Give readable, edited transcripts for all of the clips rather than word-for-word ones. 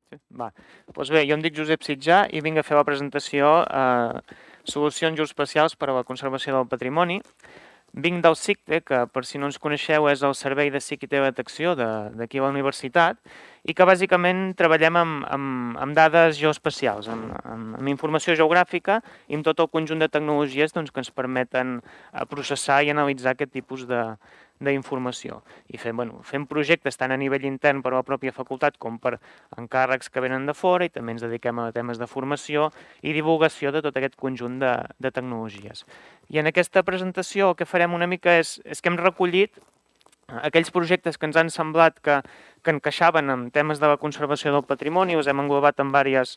Sí. Va. Doncs bé, jo em dic Josep Sitjà i vinc a fer la presentació Solucions geoespacials per a la conservació del patrimoni. Vinc del CICTE, que per si no ens coneixeu és el Servei de Psic i Teledetecció d'aquí a la universitat, i que bàsicament treballem amb dades geoespacials, amb informació geogràfica i amb tot el conjunt de tecnologies doncs, que ens permeten processar i analitzar aquest tipus d'informació. I fem projectes tant a nivell intern per a la pròpia facultat com per encàrrecs que venen de fora, i també ens dediquem a temes de formació i divulgació de tot aquest conjunt de tecnologies. I en aquesta presentació el que farem una mica és que hem recollit aquells projectes que ens han semblat que encaixaven en temes de la conservació del patrimoni, els hem englobat en diverses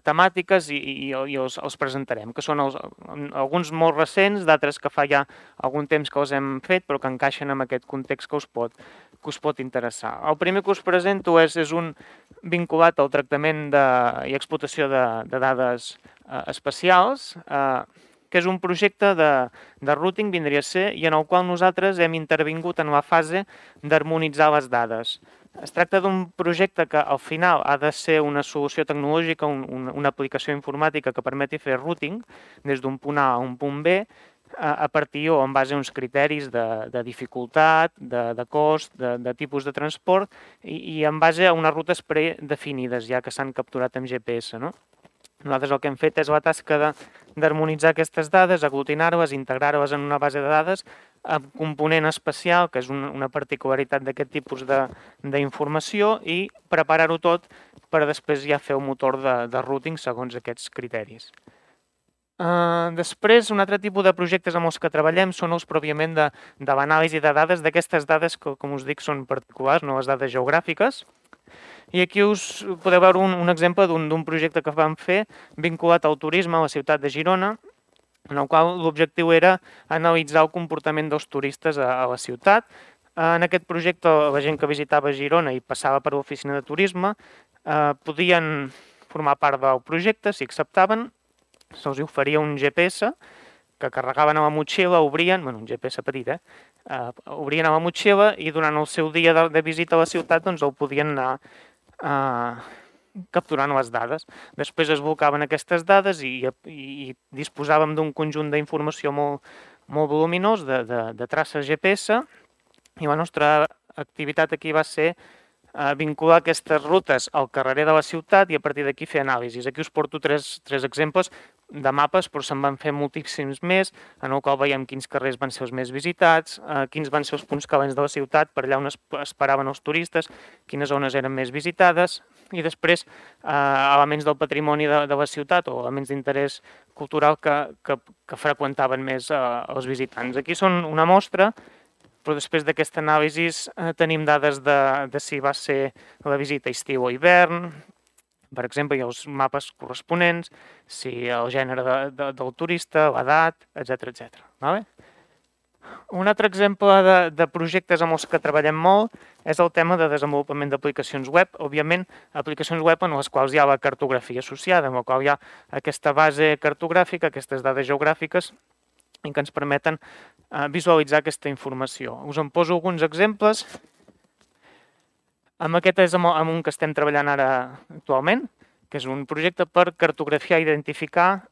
temàtiques i els presentarem, que són alguns molt recents, d'altres que fa ja algun temps que els hem fet, però que encaixen en aquest context que us pot interessar. El primer que us presento és un vinculat al tractament i explotació de dades espacials, que és un projecte de routing, vindria a ser, i en el qual nosaltres hem intervingut en la fase d'harmonitzar les dades. Es tracta d'un projecte que al final ha de ser una solució tecnològica, una aplicació informàtica que permeti fer routing des d'un punt A a un punt B a partir o en base a uns criteris de dificultat, de cost, de tipus de transport i en base a unes rutes predefinides ja que s'han capturat amb GPS, no? Nosaltres el que hem fet és la tasca d'harmonitzar aquestes dades, aglutinar-les, integrar-les en una base de dades amb component especial, que és una particularitat d'aquest tipus d'informació, i preparar-ho tot per després ja fer el motor de routing segons aquests criteris. Després, un altre tipus de projectes amb els que treballem són els pròpiament de l'anàlisi de dades, d'aquestes dades que, com us dic, són particulars, no les dades geogràfiques. I aquí us podeu veure un exemple d'un projecte que vam fer vinculat al turisme a la ciutat de Girona, en el qual l'objectiu era analitzar el comportament dels turistes a la ciutat. En aquest projecte, la gent que visitava Girona i passava per l'oficina de turisme podien formar part del projecte, si acceptaven, se'ls oferia un GPS que carregaven a la motxilla, obrien, un GPS petit, obrien a la motxilla i durant el seu dia de visita a la ciutat doncs el podien anar capturant les dades. Després es volcaven aquestes dades i disposàvem d'un conjunt d'informació molt voluminós de traces GPS, i la nostra activitat aquí va ser vincular aquestes rutes al carrer de la ciutat i a partir d'aquí fer anàlisis. Aquí us porto tres exemples de mapes, però se'n van fer moltíssims més, en el qual veiem quins carrers van ser els més visitats, quins van ser els punts calents de la ciutat, per allà on esperaven els turistes, quines zones eren més visitades, i després elements del patrimoni de la ciutat o elements d'interès cultural que freqüentaven més els visitants. Aquí són una mostra, però després d'aquesta anàlisi tenim dades de si va ser la visita estiu o hivern, per exemple, hi ha els mapes corresponents, si el gènere del turista, l'edat, etc. Un altre exemple de projectes amb els que treballem molt és el tema de desenvolupament d'aplicacions web, òbviament aplicacions web en les quals hi ha la cartografia associada, en la qual hi ha aquesta base cartogràfica, aquestes dades geogràfiques, i que ens permeten visualitzar aquesta informació. Us en poso alguns exemples. Amb aquest és amb un que estem treballant ara actualment, que és un projecte per cartografiar i identificar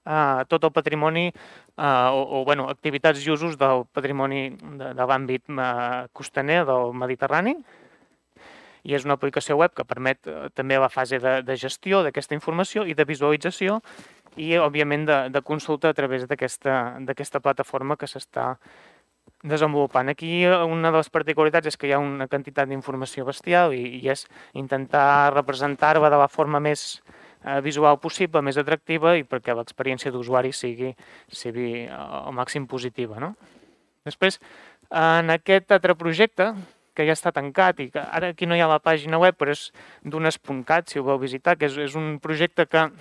tot el patrimoni o activitats i usos del patrimoni de l'àmbit costaner del Mediterrani. I és una aplicació web que permet també la fase de gestió d'aquesta informació i de visualització i, òbviament, de consulta a través d'aquesta plataforma que s'està desenvolupant. Aquí una de les particularitats és que hi ha una quantitat d'informació bestial i és intentar representar-la de la forma més visual possible, més atractiva, i perquè l'experiència d'usuari sigui al màxim positiva, no? Després, en aquest altre projecte, que ja està tancat i que ara aquí no hi ha la pàgina web, però és dunes.cat, si ho vau visitar, que és un projecte que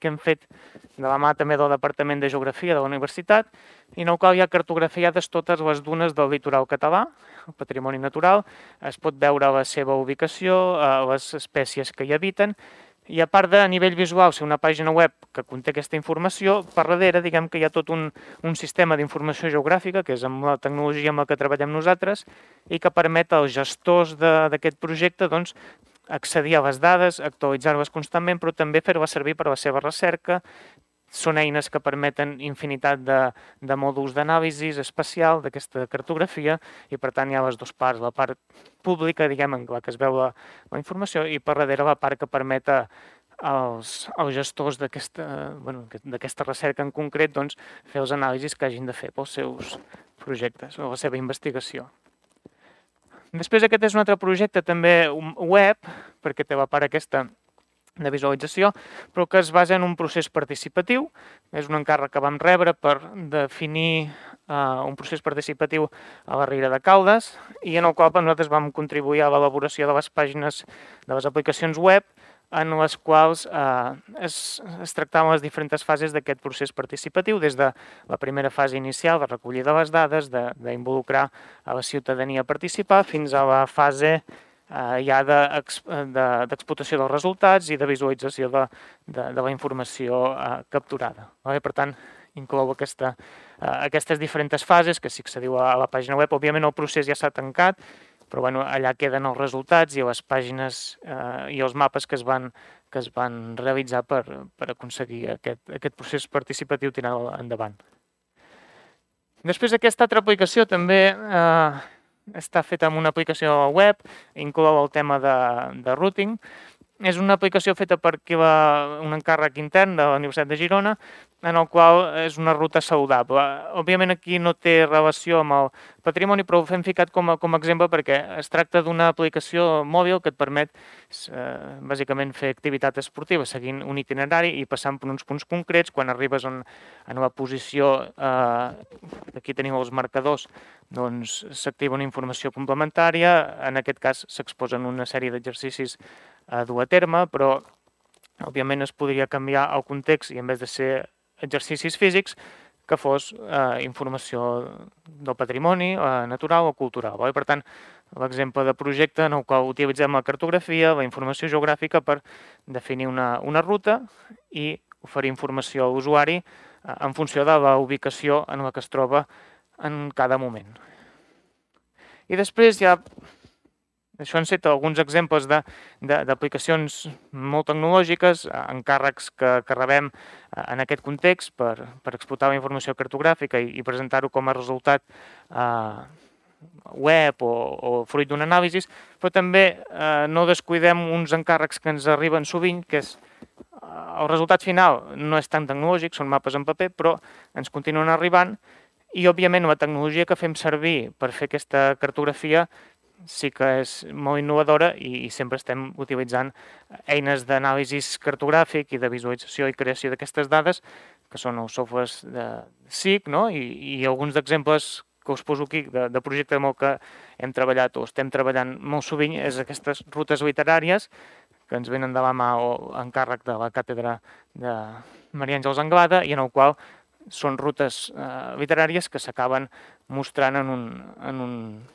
hem fet de la mà també del Departament de Geografia de la Universitat, i en el qual hi ha cartografiades totes les dunes del litoral català, el patrimoni natural, es pot veure la seva ubicació, les espècies que hi habiten, i a part de, a nivell visual, ser una pàgina web que conté aquesta informació, per darrere, diguem que hi ha tot un sistema d'informació geogràfica, que és amb la tecnologia amb la que treballem nosaltres, i que permet als gestors d'aquest projecte accedir a les dades, actualitzar-les constantment, però també fer-les servir per a la seva recerca. Són eines que permeten infinitat de mòduls d'anàlisi espacial d'aquesta cartografia i, per tant, hi ha les dues parts, la part pública, diguem, en la que es veu la informació, i per darrere la part que permet als gestors d'aquesta recerca en concret fer els anàlisis que hagin de fer pels seus projectes o la seva investigació. Després aquest és un altre projecte també web, perquè té la part aquesta de visualització, però que es basa en un procés participatiu. És un encàrrec que vam rebre per definir un procés participatiu a la Riera de Caldes i en el qual nosaltres vam contribuir a l'elaboració de les pàgines de les aplicacions web en les quals es tractaven les diferents fases d'aquest procés participatiu, des de la primera fase inicial de recollida de les dades, d'involucrar a la ciutadania a participar, fins a la fase ja d'explotació dels resultats i de visualització de la informació capturada. Per tant, inclou aquestes diferents fases que s'accediu a la pàgina web. Òbviament el procés ja s'ha tancat, però allà queden els resultats i les pàgines i els mapes que es van realitzar per aconseguir aquest procés participatiu tirar endavant. Després aquesta altra aplicació també està feta amb una aplicació web, inclou el tema de routing. És una aplicació feta per un encàrrec intern de la Universitat de Girona, en el qual és una ruta saludable. Òbviament aquí no té relació amb el patrimoni, però ho hem ficat com a exemple perquè es tracta d'una aplicació mòbil que et permet bàsicament fer activitat esportiva seguint un itinerari i passant per uns punts concrets. Quan arribes en la posició, aquí tenim els marcadors, doncs s'activa una informació complementària. En aquest cas s'exposen una sèrie d'exercicis a dur a terme, però òbviament es podria canviar el context i en vez de ser exercicis físics que fos informació del patrimoni natural o cultural. Per tant, l'exemple de projecte en el qual utilitzem la cartografia, la informació geogràfica per definir una ruta i oferir informació a l'usuari en funció de la ubicació en la que es troba en cada moment. I després ja això han estat alguns exemples d'aplicacions molt tecnològiques, encàrrecs que rebem en aquest context per explotar la informació cartogràfica i presentar-ho com a resultat web o fruit d'un anàlisi, però també no descuidem uns encàrrecs que ens arriben sovint, que és el resultat final no és tan tecnològic, són mapes en paper, però ens continuen arribant i, òbviament, la tecnologia que fem servir per fer aquesta cartografia sí que és molt innovadora i sempre estem utilitzant eines d'anàlisi cartogràfic i de visualització i creació d'aquestes dades, que són els softwares de SIG, i alguns d'exemples que us poso aquí de projecte amb el que hem treballat o estem treballant molt sovint és aquestes rutes literàries que ens venen de la mà o encàrrec de la càtedra de Maria Àngels Anglada i en el qual són rutes literàries que s'acaben mostrant en un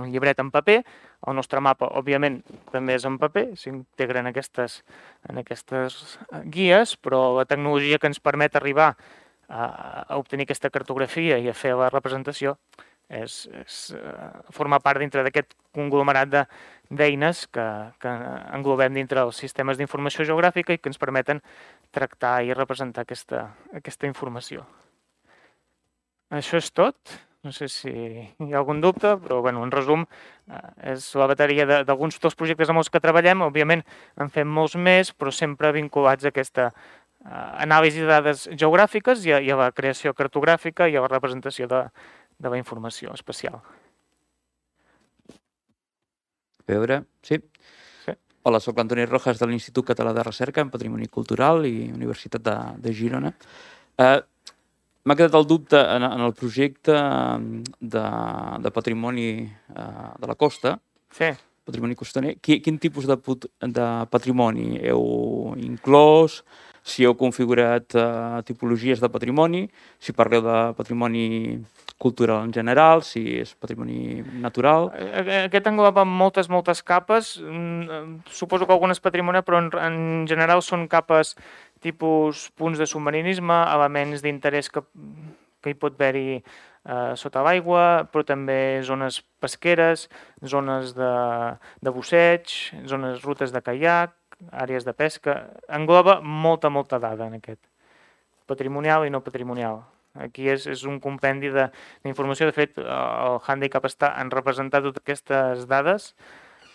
llibret en paper. El nostre mapa, òbviament, també és en paper, s'integren en aquestes guies, però la tecnologia que ens permet arribar a obtenir aquesta cartografia i a fer la representació forma part dintre d'aquest conglomerat d'eines que englobem dintre els sistemes d'informació geogràfica i que ens permeten tractar i representar aquesta informació. Això és tot. No sé si hi ha algun dubte, però en resum és la bateria d'alguns dels projectes amb els que treballem. Òbviament en fem molts més, però sempre vinculats a aquesta anàlisi de dades geogràfiques i a la creació cartogràfica i a la representació de la informació espacial. A veure, sí. Hola, soc l'Antoni Rojas de l'Institut Català de Recerca en Patrimoni Cultural i Universitat de Girona. M'ha quedat el dubte en el projecte de patrimoni de la costa, patrimoni costaner. Quin tipus de patrimoni heu inclòs? Si heu configurat tipologies de patrimoni? Si parleu de patrimoni cultural en general? Si és patrimoni natural? Aquest engloba moltes capes. Suposo que algunes patrimoni, però en general són capes tipus punts de submarinisme, elements d'interès que hi pot haver-hi sota l'aigua, però també zones pesqueres, zones de busseig, rutes de caiac, àrees de pesca. Engloba molta dada en aquest, patrimonial i no patrimonial. Aquí és un compendi d'informació. De fet, el Handicap està en representar totes aquestes dades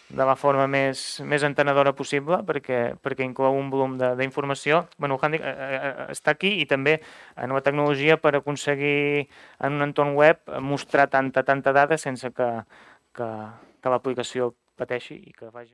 de la forma més entenedora possible, perquè inclou un volum d'informació. El Handicap està aquí i també en la tecnologia per aconseguir en un entorn web mostrar tanta dada sense que l'aplicació pateixi i que vagi...